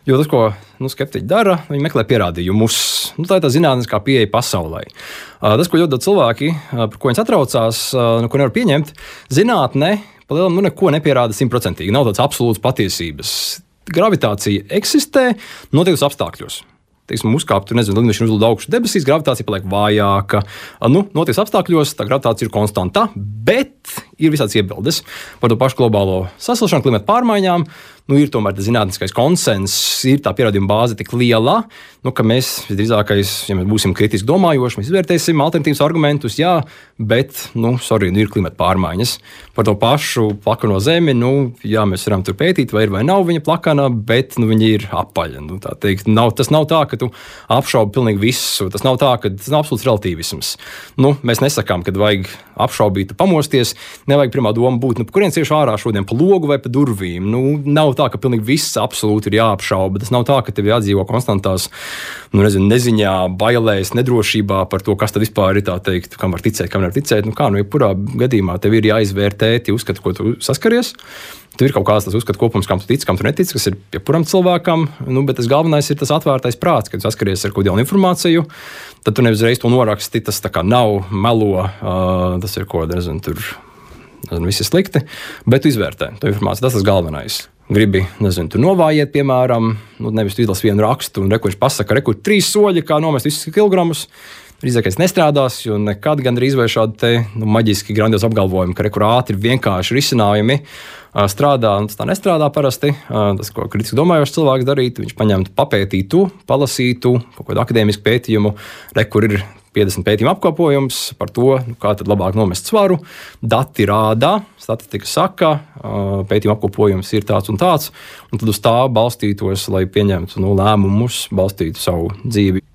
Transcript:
Jo tas, ko skeptiķi dara, viņi meklē pierādījumus. Tā ir tā zinātniskā pieeja pasaulē. Tas, ko ļoti daudz cilvēki, par ko viņi satraucās, ko nevar pieņemt, zinātne palielam neko nepierāda 100%. Nav tāds absolūts patiesības. Gravitācija eksistē noteiktos apstākļos. Teiksim, uzkāpt, lidmašīna uzlid augšu debesīs, gravitācija paliek vājāka. Notiek apstākļos, tā gravitācija ir konstanta, bet ir visādas iebildes par to pašu globālo sasilšanu, klimata pārmaiņām. Ir tomēr tas zinātniskais konsenss, ir tā pierādījuma bāze tik liela, ka mēs visdrīzākais, ja mēs būsim kritiski domājoši, mēs izvērtēsim alternatīvas argumentus, jā, bet, ir klimata pārmaiņas. Par to pašu plakano zemi, jā, mēs varam tur pētīt, vai ir vai nav viņa plakana, bet viņa ir apaļa. Tas nav tā, ka tu apšaubi pilnīgi visu. Tas nav tā, ka tas nav absolūts relativisms. Mēs nesakām, ka vajag apšaubīt, pamosties. Nevajag pirmā doma būt, kurienes iešu ārā šodien pa logu vai pa durvīm. Nav tā, ka pilnīgi viss absolūti ir jāapšauba. Tas nav tā, ka tev jādzīvo konstantās neziņā, bailēs, nedrošībā par to, kas tad vispār ir, tā teikt, kam var ticēt, kam nevar ticēt. Jebkurā gadījumā tev ir jāizvērtē tie uzskati, ko tu saskaries. Tur ir kaut kāds tas uzskatu kopums, kam tu tici, kam tu netici, kas ir jebkuram cilvēkam. Bet tas galvenais ir tas atvērtais prāts, kad tu saskaries ar kaut kādu informāciju. Tad tu nevis reiz to noraksti, tas tā kā nav, melo, tas ir ko, tur viss ir slikti, bet tu izvērtē to informāciju. Tas ir tas galvenais. Gribi, tur novājiet, piemēram, nevis tu izlasi vienu rakstu un viņš pasaka, kur 3 soļi, kā nomest visus kilogramus. Drīzākais nestrādās, jo nekad gandrīz vai šādi maģiski grandiozi apgalvojumi, ka kur ātri vienkārši risinājumi strādā, un tas tā nestrādā parasti. Tas, ko kritiski domājošs cilvēks darītu, viņš paņemtu, papētītu, palasītu kaut kādu akadēmisku pētījumu, kur ir 50 pētījumu apkopojums par to, kā tad labāk nomest svaru. Dati rāda, statistika saka, pētījuma apkopojums ir tāds un tāds, un tad uz tā balstītos, lai pieņemtu lēmumus, balstītu savu dzīvi.